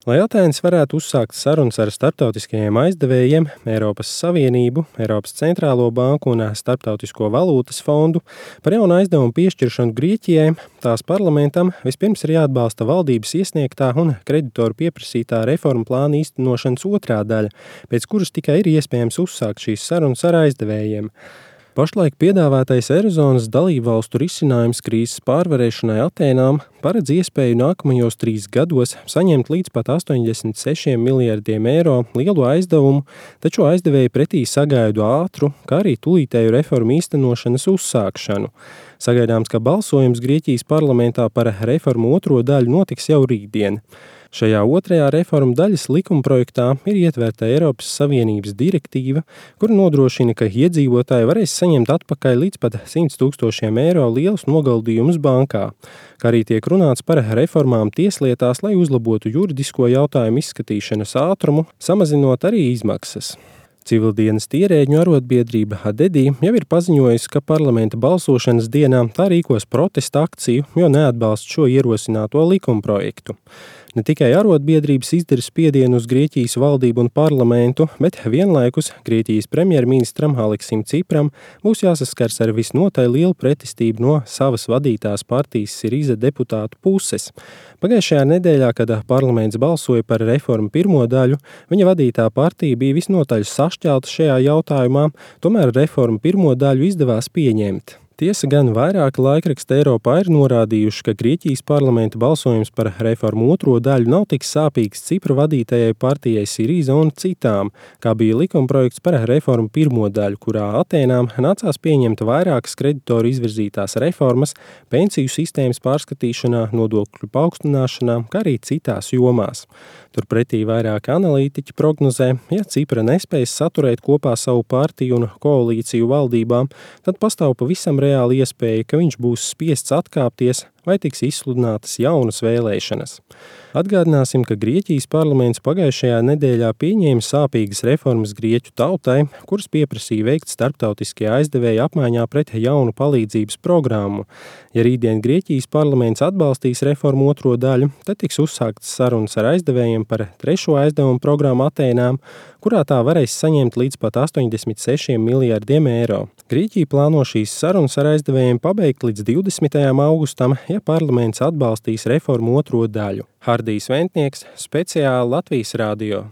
Lai Atēnas varētu uzsākt sarunas ar starptautiskajiem aizdevējiem, Eiropas Savienību, Eiropas Centrālo banku un Starptautisko valūtas fondu par jaunu aizdevumu piešķiršanu Grieķijai, tās parlamentam vispirms ir jāatbalsta valdības iesniegtā un kreditoru pieprasītā reformu plāna īstenošanas otrā daļa, pēc kuras tikai ir iespējams uzsākt šīs sarunas ar aizdevējiem. Pašlaik piedāvātais Eirozonas dalībvalstu risinājums krīzes pārvarēšanai Atēnām paredz iespēju nākamajos 3 gados saņemt līdz pat 86 miljardiem eiro lielu aizdevumu, taču aizdevēji pretī sagaidu ātru, kā arī tūlītēju reformu īstenošanas uzsākšanu. Sagaidāms, ka balsojums Grieķijas parlamentā par reformu otro daļu notiks jau rītdien. Šajā otrajā reformu daļas likumprojektā ir ietverta Eiropas Savienības direktīva, kur nodrošina, ka iedzīvotāji varēs saņemt atpakaļ līdz pat 100 000 eiro lielus noguldījumus bankā, kā arī tiek runāts par reformām tieslietās, lai uzlabotu juridisko jautājumu izskatīšanas ātrumu, samazinot arī izmaksas. Civildienestu ierēģņu arotbiedrība Adedi jau ir paziņojusi, ka parlamenta balsošanas dienā tā rīkos protesta akciju, jo neatbalsta šo ierosināto likumprojektu. Ne tikai arotbiedrības izdara spiedienu uz Grieķijas valdību un parlamentu, bet vienlaikus Grieķijas premjerministram Aleksim Cipram būs jāsaskars ar visnotaļ lielu pretestību no savas vadītās partijas Siriza deputātu puses. Pagājušajā nedēļā, kad parlaments balsoja par reformu pirmo daļu, viņa vadītā partija bija visnotaļ sašķelta šajā jautājumā, tomēr reformu pirmo daļu izdevās pieņemt. Tiesa gan vairāki laikraksti Eiropā ir norādījuši, ka Grieķijas parlamenta balsojums par reformu otro daļu nav tik sāpīgs Cipra vadītajai partijai Siriza un citām, kā bija likumprojekts par reformu pirmo daļu, kurā Atēnām nācās pieņemt vairākas kreditoru izvirzītās reformas, pensiju sistēmas pārskatīšanā, nodokļu paaugstināšanā, kā arī citās jomās. Turpretī vairāki analītiķi prognozē, ja Cipra nespējas saturēt kopā savu partiju un koalīciju valdībām, tad pastāv pavisam reāli iespēja, ka viņš būs spiests atkāpties vai tiks izsludinātas jaunas vēlēšanas. Atgādināsim, ka Grieķijas parlaments pagājušajā nedēļā pieņēma sāpīgas reformas grieķu tautai, kuras pieprasīja veikt starptautiskie aizdevēji apmaiņā pret jaunu palīdzības programmu. Ja rītdien Grieķijas parlaments atbalstīs reformu otro daļu, tad tiks uzsāktas sarunas ar aizdevējiem par trešo aizdevumu programmu Atēnām, kurā tā varēs saņemt līdz pat 86 miljardiem eiro. Grieķija plāno šīs sarunas ar aizdevējiem pabeigt līdz 20. augustam, ja parlaments atbalstīs reformu otro daļu. Hardijs Ventnieks, speciāli Latvijas radio.